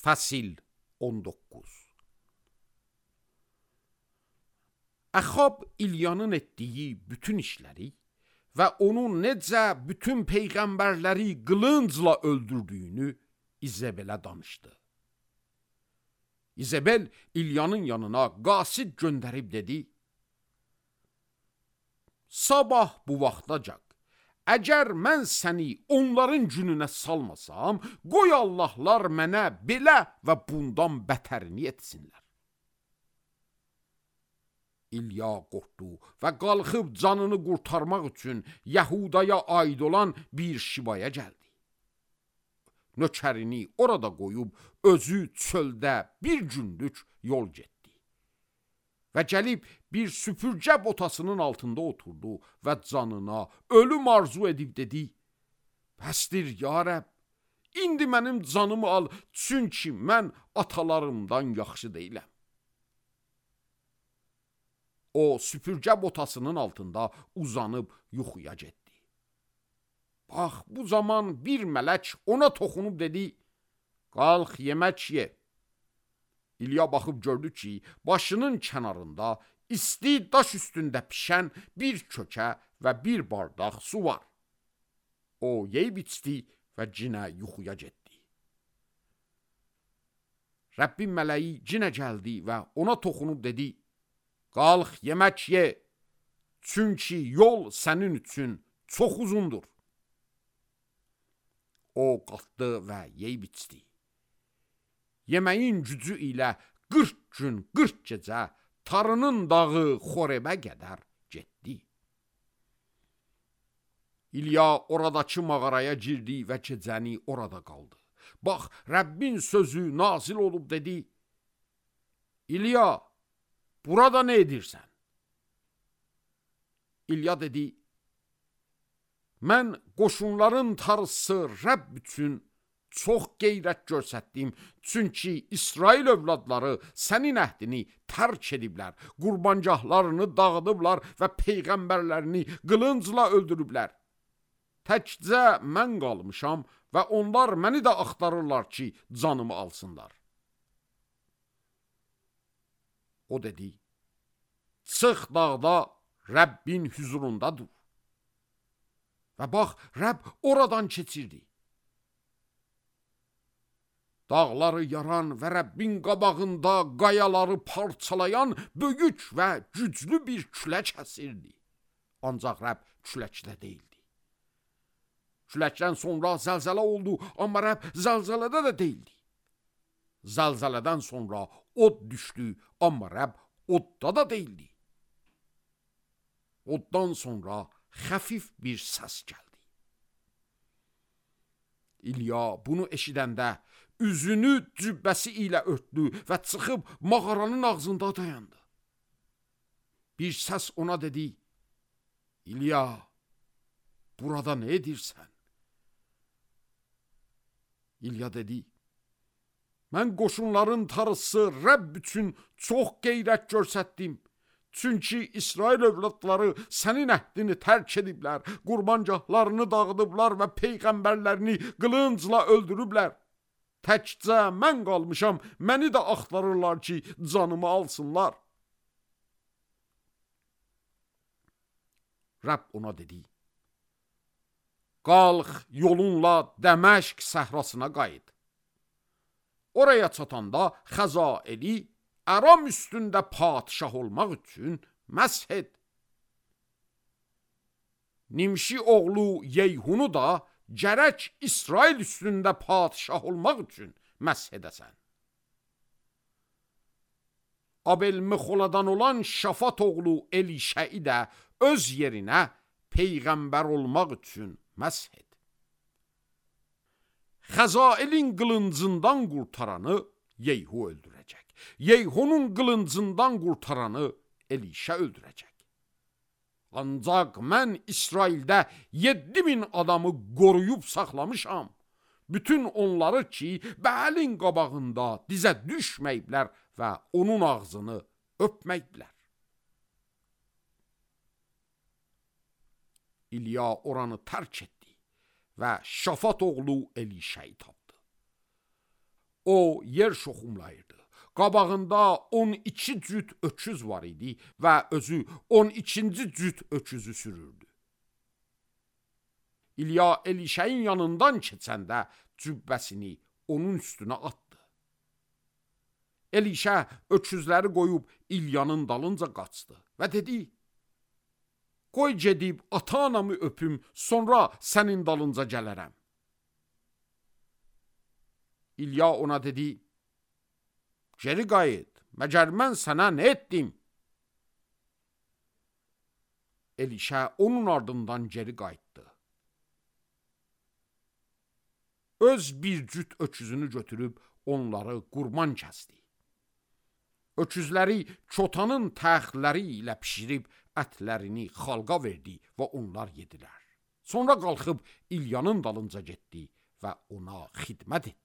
Fəsil 19. Əxab İlyanın etdiyi bütün işləri və onun necə bütün peyğəmbərləri qılıncla öldürdüyünü İzebelə danışdı. İzebel İlyanın yanına qasid göndərib dedi: Sabah bu vaxtacaq, əgər mən səni onların gününə salmasam, qoy Allahlar mənə belə və bundan bətərini etsinlər. İlya qorxdu və qalxıb canını qurtarmaq üçün Yəhudaya aid olan bir şivaya gəldi. Nökərini orada qoyub özü çöldə bir günlük yol getdi. Və gəlib bir süpürgə botasının altında oturdu və canına ölüm arzu edib dedi: Bəsdir ya Rəbb, indi mənim canımı al, çünki mən atalarımdan yaxşı deyiləm. O süpürgə botasının altında uzanıb yuxuya getdi. Bax, bu zaman bir mələk ona toxunub dedi: Qalx, yemək ye. İlya baxıb gördü ki, başının kənarında isti daş üstündə pişən bir kökə və bir bardaq su var. O yeyib içdi və cinə yuxuya getdi. Rəbbin mələyi cinə gəldi və ona toxunub dedi: Qalx, yemək ye, çünki yol sənin üçün çox uzundur. O qalxdı və yeyib içdi. Yeməyin gücü ilə 40 gün, 40 gecə Tarının dağı Xorebə qədər getdi. İlya oradakı mağaraya girdi və gecəni orada qaldı. Bax, Rəbbin sözü nazil olub dedi: İlya, burada nə edirsən? İlya dedi: Mən qoşunların tarısı Rəbb üçün çox qeyrət göstərdim, çünki İsrail övladları sənin əhdini tərk ediblər, qurbangahlarını dağıdıblar və peyğəmbərlərini qılıncla öldürüblər. Təkcə mən qalmışam və onlar məni də axtarırlar ki, canımı alsınlar. O dedi: Çıx dağda Rəbbin hüzurunda dur. Və bax, Rəbb oradan keçirdi. Dağları yaran və Rəbbin qabağında qayaları parçalayan böyük və güclü bir külək əsirdi. Ancaq Rəbb küləkdə deyildi. Küləkdən sonra zəlzələ oldu, amma Rəbb zəlzələdə də deyildi. Zəlzələdən sonra od düşdü, amma Rəbb odda da deyildi. Oddan sonra xəfif bir səs gəldi. İlya bunu eşidəndə üzünü cübbəsi ilə örtdü və çıxıb mağaranın ağzında dayandı. Bir səs ona dedi: İlya, burada nə edirsən? İlya dedi: Mən qoşunların tarısı Rəbb üçün çox qeyrət göstərdim. Çünki İsrail övladları sənin əhdini tərk ediblər, qurbangahlarını dağıdıblar və peyğəmbərlərini qılıncla öldürüblər. Təkcə mən qalmışam, məni də axtarırlar ki, canımı alsınlar. Rəbb ona dedi: Qalx, yolunla Dəməşq səhrasına qayıt. Oraya çatanda Xəzaeli Aram üstündə padişah olmaq üçün məsh et. Nimşi oğlu Yeyhunu da gərək İsrail üstündə padişah olmaq üçün məsh edəsən. Abel-Mexoladan olan Şafat oğlu Elişəi də öz yerinə peyğəmbər olmaq üçün məsh et. Xəzaelin qılıncından qurtaranı Yeyhu öldürəcək. Yeyhunun qılıncından qurtaranı Elişə öldürəcək. Ancaq mən İsraildə 7000 adamı qoruyub saxlamışam. Bütün onları ki, Bəlin qabağında dizə düşməyiblər və onun ağzını öpməyiblər. İlya oranı tərk etdi və Şafat oğlu Elişəyi tapdı. O yer şoxumlayırdı. Qabağında 12 cüt öküz var idi və özü 12-ci cüt öküzü sürürdü. İlya Elişəyin yanından keçəndə cübbəsini onun üstünə atdı. Elişə öküzləri qoyub İlyanın dalınca qaçdı və dedi: "Qoy gedib ata-anamı öpüm, sonra sənin dalınca gələrəm." İlya ona dedi: "Geri qayıt, məgər mən sənə nə etdim?" Elişə onun ardından geri qayıtdı. Öz bir cüt öküzünü götürüb onları qurban kəsdi. Öküzləri çotanın təxləri ilə pişirib ətlərini xalqa verdi və onlar yedilər. Sonra qalxıb İlyanın dalınca getdi və ona xidmət etdi.